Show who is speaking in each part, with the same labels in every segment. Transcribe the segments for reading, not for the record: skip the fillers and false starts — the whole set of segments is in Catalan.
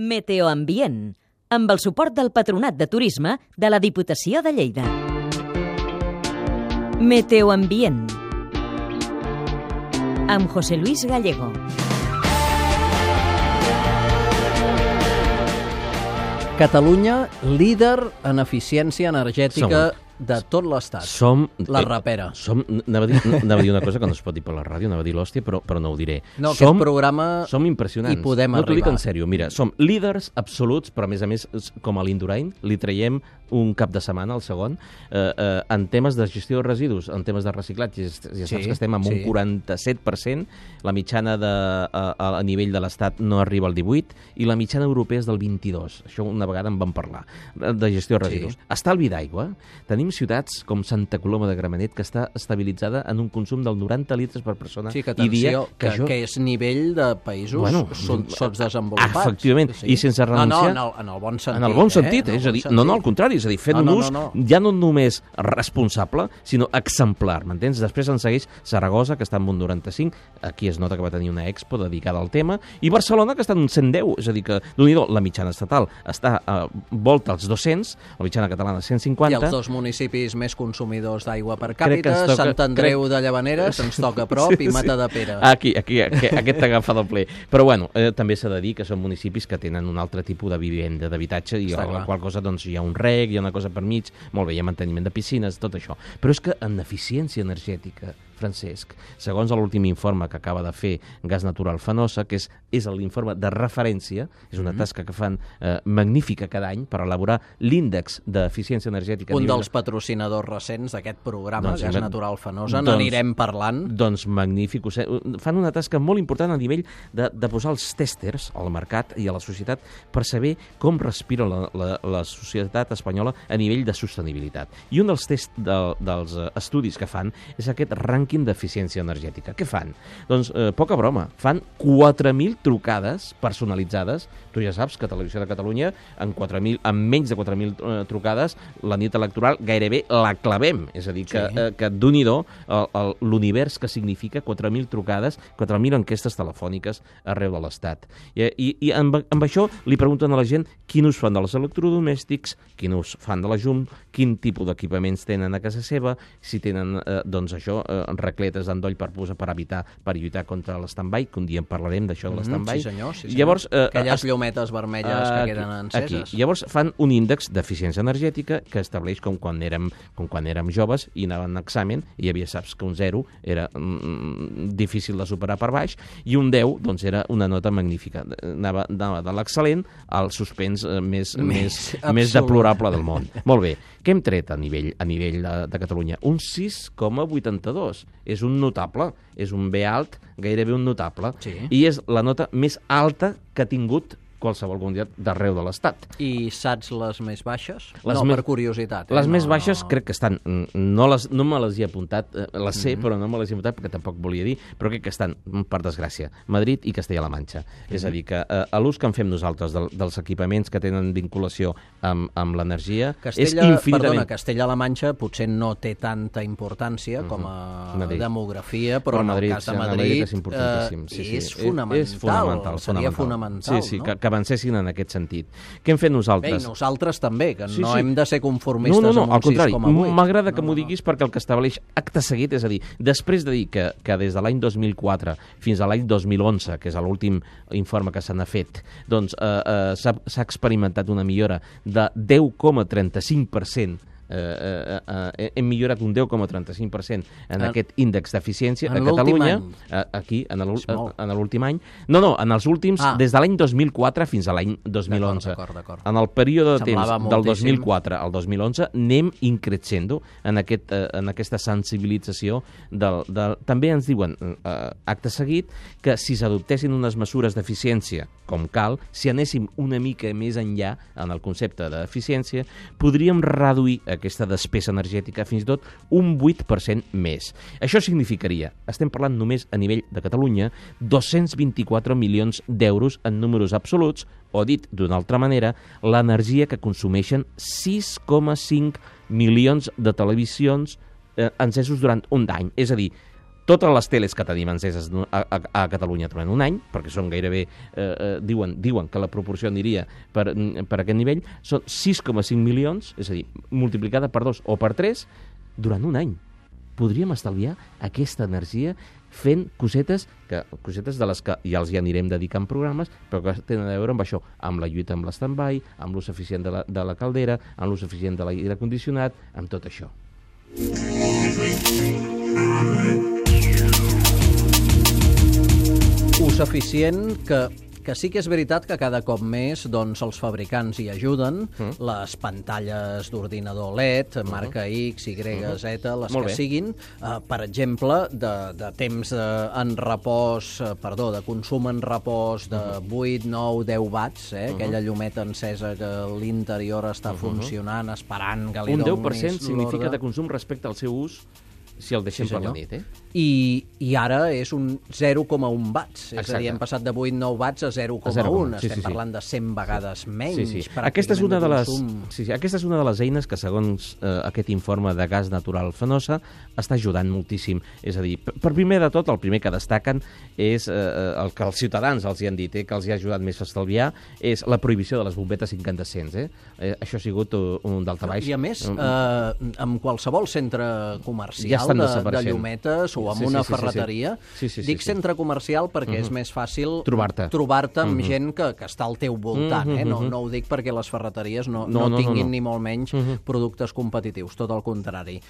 Speaker 1: Meteoambient, amb el suport del Patronat de Turisme de la Diputació de Lleida. Meteoambient, amb José Luis Gallego.
Speaker 2: Catalunya, líder en eficiència energètica de tot l'Estat. La rapera.
Speaker 3: Anava a dir una cosa que no es pot dir per la ràdio, anava a dir l'hòstia, però no ho diré.
Speaker 2: No, aquest programa
Speaker 3: som impressionants.
Speaker 2: hi podem arribar.
Speaker 3: No t'ho dic en sèrio, mira, som líders absoluts, però a més, com a l'Indurain, li traiem un cap de setmana, el segon, en temes de gestió de residus, en temes de reciclatge, ja saps que estem amb un 47%, la mitjana a nivell de l'Estat no arriba al 18%, i la mitjana europea és del 22%. Això una vegada en vam parlar, de gestió de residus. Estalvi d'aigua. Tenim ciutats com Santa Coloma de Gramenet, que està estabilitzada en un consum del 90 litres per persona.
Speaker 2: Sí, que atenció, que és nivell de països sotsdesenvolupats.
Speaker 3: Efectivament, i sense renunciar...
Speaker 2: No, en el bon sentit.
Speaker 3: En el bon sentit, és a dir, no, al contrari, és a dir, fent un ús ja no només responsable, sinó exemplar, m'entens? Després en segueix Saragossa, que està en un 95, aquí es nota que va tenir una expo dedicada al tema, i Barcelona, que està en un 110, és a dir, que la mitjana estatal està a volta als 200, la mitjana catalana 150...
Speaker 2: I els dos municipis més consumidors d'aigua per càpita, Sant Andreu de Llavaneres, ens toca a prop, i Matadepera.
Speaker 3: Aquí, aquest t'agafa del ple. Però bueno, també s'ha de dir que són municipis que tenen un altre tipus de vivenda, d'habitatge, i a la qual cosa doncs hi ha un reg, hi ha una cosa per mig, molt bé, hi ha manteniment de piscines, tot això. Però és que en eficiència energètica, Francesc, segons l'últim informe que acaba de fer Gas Natural Fenosa, que és l'informe de referència, és una tasca que fan magnífica cada any per elaborar l'índex d'eficiència energètica.
Speaker 2: Un dels patrocinadors recents d'aquest programa, Gas Natural Fenosa, n'anirem parlant.
Speaker 3: Doncs magnífic. Fan una tasca molt important a nivell de posar els tèsters al mercat i a la societat per saber com respira la societat espanyola a nivell de sostenibilitat. I un dels dels estudis que fan és aquest rànquing d'eficiència energètica. Què fan? Doncs, poca broma, fan 4.000 trucades personalitzades. Tu ja saps que Televisió de Catalunya, amb menys de 4.000 trucades, la nit electoral gairebé la clavem. És a dir, que d'un-i-do l'univers que significa 4.000 trucades, 4.000 enquestes telefòniques arreu de l'Estat. I amb això li pregunten a la gent quin ús fan dels electrodomèstics, quin ús fan de la llum, quin tipus d'equipaments tenen a casa seva, si tenen, doncs això, racletes d'endoll per lluitar contra l'stand-by, que un dia en parlarem d'això de l'stand-by.
Speaker 2: Sí, senyor.
Speaker 3: Llavors,
Speaker 2: aquelles llumetes vermelles que queden enceses.
Speaker 3: Llavors fan un índex d'eficiència energètica que estableix com quan érem joves i anàvem a examen i hi havia, saps que un 0 era difícil de superar per baix i un 10 doncs era una nota magnífica. Anava de l'excel·lent al suspens més deplorable del món. Molt bé. Què hem tret a nivell de Catalunya? Un 6,82. És un notable, és un B alt, gairebé un notable, i és la nota més alta que ha tingut qualsevol comunitat d'arreu de l'Estat.
Speaker 2: I saps les més baixes? Per curiositat.
Speaker 3: Les més baixes crec que estan... No me les he apuntat, les sé, però no me les he apuntat perquè tampoc volia dir, però crec que estan, per desgràcia, Madrid i Castella-La Manxa. És a dir, que l'ús que en fem nosaltres dels equipaments que tenen vinculació amb l'energia és infinitament...
Speaker 2: Castella-La Manxa potser no té tanta importància com a demografia, però en el cas de Madrid és fonamental. Seria fonamental,
Speaker 3: no? Que avancessin en aquest sentit. Què hem fet nosaltres?
Speaker 2: Bé, i nosaltres també, que no hem de ser conformistes
Speaker 3: amb
Speaker 2: un 6,8.
Speaker 3: Al contrari, m'agrada que m'ho diguis perquè el que estableix acte seguit, és a dir, després de dir que des de l'any 2004 fins a l'any 2011, que és l'últim informe que se n'ha fet, doncs s'ha experimentat una millora de 10,35%. Hem millorat un 10,35% en aquest índex d'eficiència a Catalunya, aquí, en l'últim any. No, en els últims, des de l'any 2004 fins a l'any 2011. En el període de temps del 2004 al 2011 anem increixendo en aquesta sensibilització. També ens diuen, acte seguit, que si s'adoptessin unes mesures d'eficiència com cal, si anéssim una mica més enllà en el concepte d'eficiència, podríem reduir aquesta despesa energètica fins i tot un 8% més. Això significaria, estem parlant només a nivell de Catalunya, 224 milions d'euros en números absoluts, o dit d'una altra manera, l'energia que consumeixen 6,5 milions de televisions encesos durant un any. És a dir, totes les teles que tenim enceses a Catalunya durant un any, perquè són gairebé, diuen que la proporció aniria per aquest nivell, són 6,5 milions, és a dir, multiplicada per 2 o per 3, durant un any. Podríem estalviar aquesta energia fent cosetes de les que ja els anirem dedicant programes, però que tenen a veure amb això, amb la lluita amb l'stand-by, amb l'ús eficient de la caldera, amb l'ús eficient de l'aire condicionat, amb tot això.
Speaker 2: Ús eficient que sí que és veritat que cada cop més doncs, els fabricants hi ajuden, les pantalles d'ordinador LED, marca X, Y, Z, les que siguin, per exemple, de temps en repòs, de consum en repòs de 8, 9, 10 watts, aquella llumeta encesa que l'interior està funcionant, esperant que li donis
Speaker 3: l'ordre. Un 10% significa de consum respecte al seu ús si el deixem per la nit,
Speaker 2: I ara és un 0,1 watts. És a dir, hem passat de 8-9 watts a 0,1. Estem parlant de 100 vegades menys.
Speaker 3: Aquesta és una de les eines que, segons aquest informe de gas natural Fenosa, està ajudant moltíssim. És a dir, per primer de tot, el primer que destaquen és el que els ciutadans els hi han dit, que els hi ha ajudat més a estalviar, és la prohibició de les bombetes incandescents. Això ha sigut un daltabaix.
Speaker 2: I a més, en qualsevol centre comercial de llumetes o amb una ferreteria. Dic centre comercial perquè és més fàcil trobar-te amb gent que està al teu voltant. No ho dic perquè les ferreteries no tinguin ni molt menys productes competitius, tot el contrari.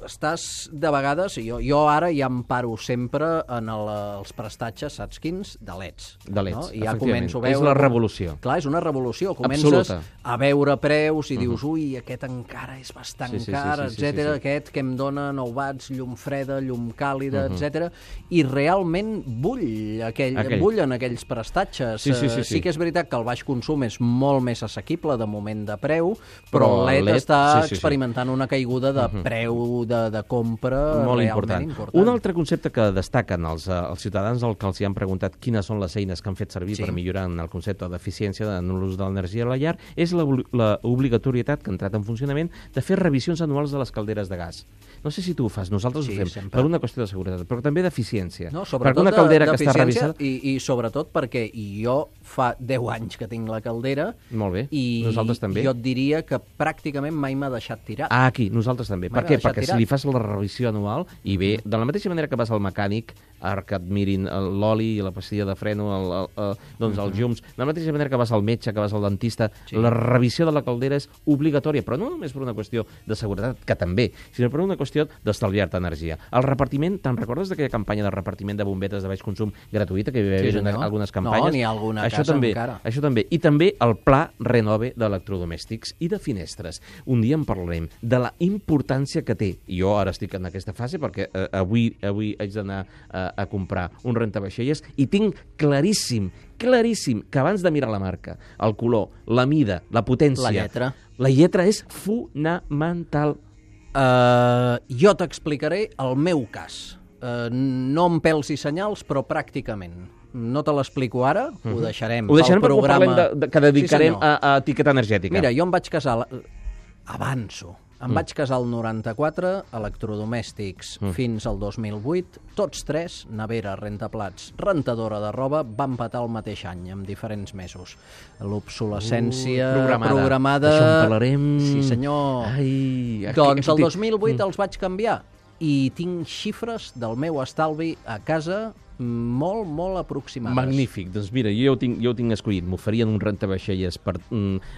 Speaker 2: Estàs, de vegades, jo ara ja em paro sempre en els prestatges, saps quins? De LEDs.
Speaker 3: De LEDs,
Speaker 2: i ja començo a veure...
Speaker 3: És la revolució.
Speaker 2: Clar, és una revolució. Comences a veure preus i dius, ui, aquest encara és bastant car, etc. Aquest que em dona 9 watts, llum freda, llum càlida, etc. I realment bullen aquells prestatges. Sí que és veritat que el baix consum és molt més assequible de moment de preu, però el LED està experimentant una caiguda de preu de compra
Speaker 3: molt
Speaker 2: realment important.
Speaker 3: Un altre concepte que destaquen els ciutadans al que els han preguntat quines són les eines que han fet servir per millorar en el concepte d'eficiència en l'ús de l'energia a la llar és l'obligatorietat que ha entrat en funcionament de fer revisions anuals de les calderes de gas. No sé si tu ho fas, nosaltres ho fem per una qüestió de seguretat, però també d'eficiència.
Speaker 2: No, sobretot una caldera que està revisada... I sobretot perquè jo fa 10 anys que tinc la caldera.
Speaker 3: Molt bé, nosaltres també.
Speaker 2: Jo et diria que pràcticament mai m'ha deixat tirat.
Speaker 3: Aquí, nosaltres també. Per què? Perquè si li fas la revisió anual i bé, de la mateixa manera que vas al mecànic, ara que et mirin l'oli i la pastilla de freno, els llums, de la mateixa manera que vas al metge, que vas al dentista, la revisió de la caldera és obligatòria, però no només per una qüestió de seguretat, que també, sinó per una qüestió d'estalviar-te energia. El repartiment, te'n recordes d'aquella campanya de repartiment de bombetes de baix consum gratuïta que hi havia algunes campanyes?
Speaker 2: No, n'hi ha alguna casa encara.
Speaker 3: Això també. I també el pla Renove d'electrodomèstics i de finestres. Un dia en parlarem de la importància que té. Jo ara estic en aquesta fase perquè avui haig d'anar a comprar un rentavaixelles i tinc claríssim que abans de mirar la marca, el color, la mida, la potència... La lletra és fonamental.
Speaker 2: Jo t'explicaré el meu cas. No amb pèls i senyals, però pràcticament. No te l'explico ara, ho deixarem
Speaker 3: pel programa... que dedicarem a etiqueta energètica.
Speaker 2: Mira, jo em vaig casar... Avanço. Em vaig casar al 94, electrodomèstics fins al 2008, tots tres, nevera, rentaplats, rentadora de roba, van patar el mateix any, en diferents mesos. L'obsolescència programada...
Speaker 3: D'això en parlarem...
Speaker 2: Sí, senyor. Doncs el 2008 els vaig canviar i tinc xifres del meu estalvi a casa molt, molt aproximades.
Speaker 3: Magnífic. Doncs mira, jo ho tinc escollit. M'oferien un rentavaixelles per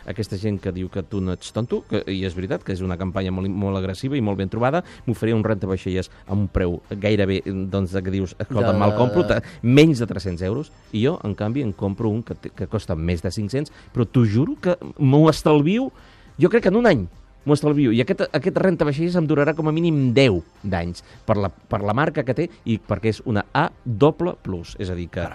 Speaker 3: aquesta gent que diu que tu no ets tonto, i és veritat que és una campanya molt agressiva i molt ben trobada. M'oferien un rentavaixelles a un preu gairebé, doncs, que dius, escolta, me'l compro, menys de 300 euros, i jo, en canvi, en compro un que costa més de 500, però t'ho juro que m'ho estalvio, jo crec que en un any. M'ho estalvio. I aquest rentavaixelles em durarà com a mínim 10 d'anys per la marca que té i perquè és una A++. És a dir, que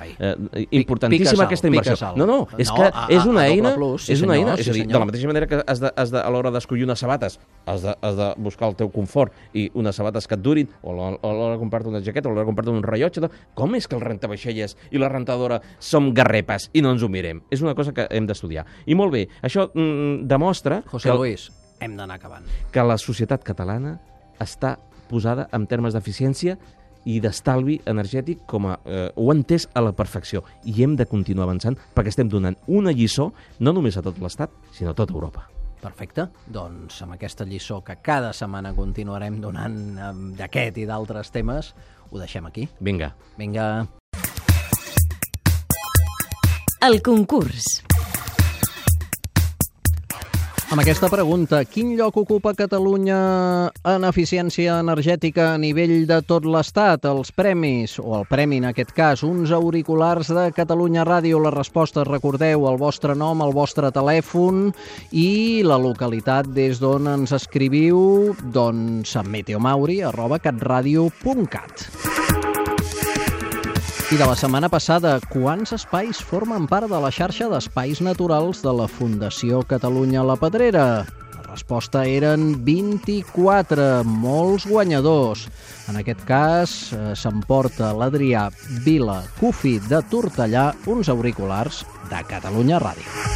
Speaker 3: importantíssima aquesta inversió. No, és que és una eina... És una eina. És a dir, de la mateixa manera que a l'hora d'escollir unes sabates has de buscar el teu confort i unes sabates que et durin, o a l'hora de comprar-te una jaqueta, o a l'hora de comprar-te un rellotge, com és que el rentavaixelles i la rentadora som garrepes i no ens ho mirem? És una cosa que hem d'estudiar. I molt bé, això demostra...
Speaker 2: José Luis, hem d'anar acabant.
Speaker 3: Que la societat catalana està posada en termes d'eficiència i d'estalvi energètic com ho ha entès a la perfecció. I hem de continuar avançant perquè estem donant una lliçó no només a tot l'Estat, sinó a tota Europa.
Speaker 2: Perfecte. Doncs amb aquesta lliçó que cada setmana continuarem donant d'aquest i d'altres temes, ho deixem aquí.
Speaker 3: Vinga.
Speaker 2: Vinga.
Speaker 1: El concurs.
Speaker 2: Amb aquesta pregunta, quin lloc ocupa Catalunya en eficiència energètica a nivell de tot l'Estat? Els premis, o el premi en aquest cas, uns auriculars de Catalunya Ràdio. La resposta, recordeu, el vostre nom, el vostre telèfon i la localitat des d'on ens escriviu, doncs a meteomauri@catradio.cat. I de la setmana passada, quants espais formen part de la xarxa d'espais naturals de la Fundació Catalunya La Pedrera? La resposta eren 24, molts guanyadors. En aquest cas, s'emporta l'Adrià Vila Cufi de Tortellà uns auriculars de Catalunya Ràdio.